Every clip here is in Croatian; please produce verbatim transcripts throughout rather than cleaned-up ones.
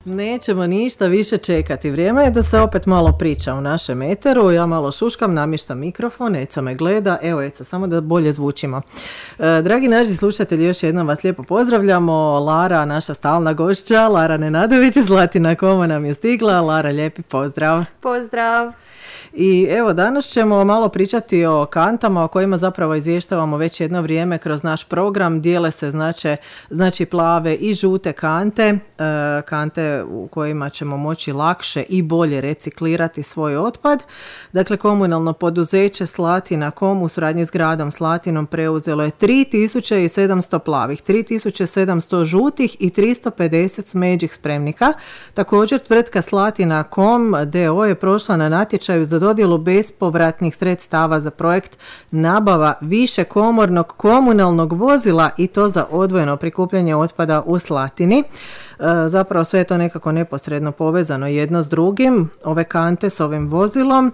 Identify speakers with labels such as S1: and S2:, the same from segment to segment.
S1: Nećemo ništa više čekati. Vrijeme je da se opet malo priča u našem eteru. Ja malo šuškam, namještam mikrofon, Eca me gleda. Evo Eca, samo da bolje zvučimo. E, dragi naši slušatelji, još jednom vas lijepo pozdravljamo. Lara, naša stalna gošća, Lara Nenadović iz Zlatina Koma nam je stigla. Lara, lijepi pozdrav.
S2: Pozdrav.
S1: I evo, danas ćemo malo pričati o kantama o kojima zapravo izvještavamo već jedno vrijeme kroz naš program. Dijele se znači, znači plave i žute kante, e, kante u kojima ćemo moći lakše i bolje reciklirati svoj otpad. Dakle, komunalno poduzeće Slatina Kom u suradnji s gradom Slatinom preuzelo je tri tisuće sedamsto plavih, tri tisuće sedamsto žutih i tristo pedeset smeđih spremnika. Također, tvrtka Slatina Kom d o o je prošla na natječaju za dodjelu bespovratnih sredstava za projekt nabava višekomornog komunalnog vozila i to za odvojeno prikupljanje otpada u Slatini. E, zapravo sve je to nekako neposredno povezano jedno s drugim, ove kante s ovim vozilom.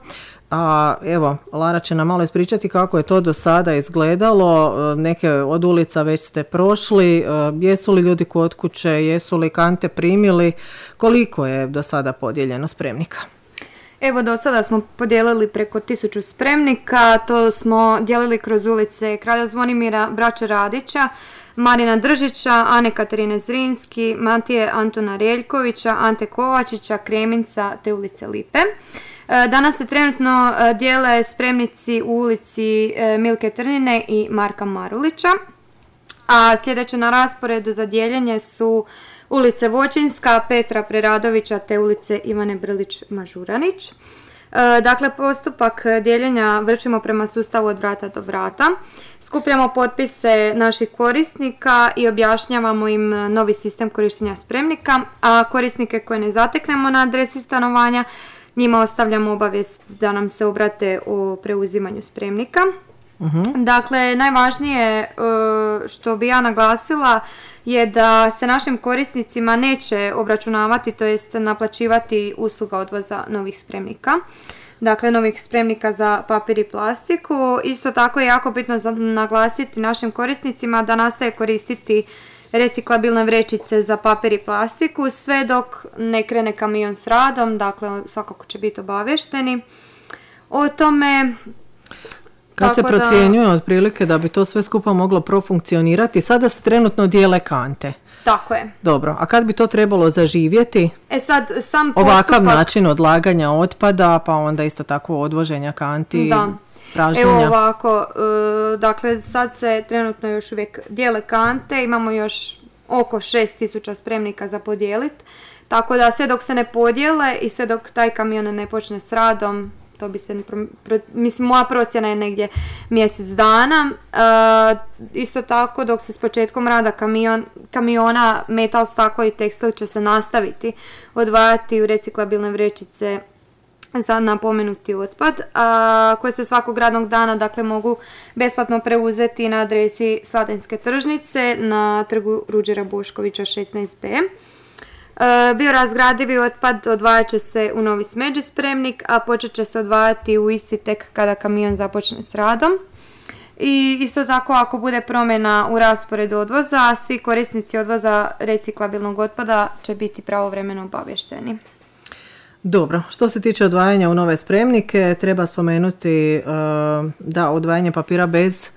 S1: A evo, Lara će nam malo ispričati kako je to do sada izgledalo. Neke od ulica već ste prošli. Jesu li ljudi kod kuće, jesu li kante primili? Koliko je do sada podijeljeno spremnika?
S2: Evo, do sada smo podijelili preko tisuću spremnika. To smo dijelili kroz ulice Kralja Zvonimira, Braće Radića, Marina Držića, Ane Katarine Zrinski, Matije Antona Reljkovića, Ante Kovačića, Kreminca te ulice Lipe. Danas se trenutno dijele spremnici u ulici Milke Trnine i Marka Marulića, a sljedeće na rasporedu za dijeljenje su ulice Voćinska, Petra Preradovića te ulice Ivane Brlić-Mažuranić. Dakle, postupak dijeljenja vršimo prema sustavu od vrata do vrata. Skupljamo potpise naših korisnika i objašnjavamo im novi sistem korištenja spremnika, a korisnike koje ne zateknemo na adresi stanovanja, njima ostavljamo obavijest da nam se obrate o preuzimanju spremnika. Uh-huh. Dakle, najvažnije što bi ja naglasila je da se našim korisnicima neće obračunavati, to jest naplaćivati usluga odvoza novih spremnika. Dakle, novih spremnika za papir i plastiku. Isto tako je jako bitno naglasiti našim korisnicima da nastaje koristiti reciklabilne vrećice za papir i plastiku sve dok ne krene kamion s radom, dakle svakako će biti obavješteni o tome.
S1: Kad se procjenjuje da, otprilike da bi to sve skupa moglo profunkcionirati, sada se trenutno dijele kante.
S2: Tako je.
S1: Dobro, a kad bi to trebalo zaživjeti?
S2: E sad, sam postupak...
S1: Ovakav način odlaganja otpada, pa onda isto tako odvoženja kanti,
S2: da.
S1: pražnjenja.
S2: Evo ovako, e, dakle sad se trenutno još uvijek dijele kante, imamo još oko šest tisuća spremnika za podijeliti, tako da sve dok se ne podijele i sve dok taj kamion ne počne s radom, to bi se, mislim, moja procjena je negdje mjesec dana. E, isto tako, dok se s početkom rada kamion, kamiona metal, staklo i tekstil će se nastaviti odvajati u reciklabilne vrećice za napomenuti otpad, a, koje se svakog radnog dana, dakle, mogu besplatno preuzeti na adresi Slatinske tržnice na trgu Ruđera Boškovića šesnaest be. Biorazgradivi otpad odvajat će se u novi smeđi spremnik, a počet će se odvajati u isti tek kada kamion započne s radom. I isto tako, ako bude promjena u rasporedu odvoza, svi korisnici odvoza reciklabilnog otpada će biti pravovremeno obavješteni.
S1: Dobro, što se tiče odvajanja u nove spremnike, treba spomenuti uh, da odvajanje papira bez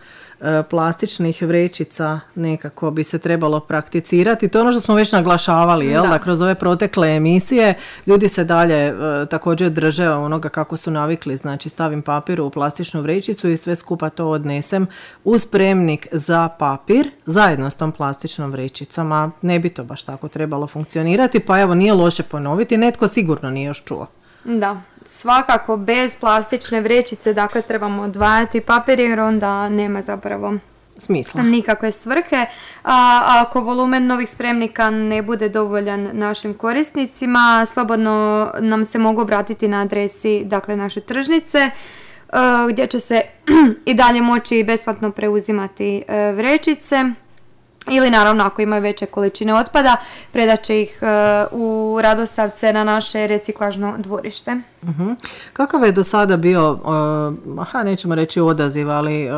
S1: plastičnih vrećica nekako bi se trebalo prakticirati. To je ono što smo već naglašavali, jel? Da. Da kroz ove protekle emisije ljudi se dalje e, također drže onoga kako su navikli, znači stavim papir u plastičnu vrećicu i sve skupa to odnesem u spremnik za papir zajedno s tom plastičnom vrećicom, a ne bi to baš tako trebalo funkcionirati, pa evo nije loše ponoviti, netko sigurno nije još čuo.
S2: Da, svakako bez plastične vrećice, dakle trebamo odvajati papir jer onda nema zapravo
S1: smisla,
S2: nikakve svrhe. A ako volumen novih spremnika ne bude dovoljan našim korisnicima, slobodno nam se mogu obratiti na adresi, dakle, naše tržnice, gdje će se i dalje moći besplatno preuzimati vrećice. Ili naravno ako imaju veće količine otpada, predat će ih uh, u Radosavce na naše reciklažno dvorište.
S1: Uh-huh. Kakav je do sada bio, uh, aha, nećemo reći odaziv, ali uh,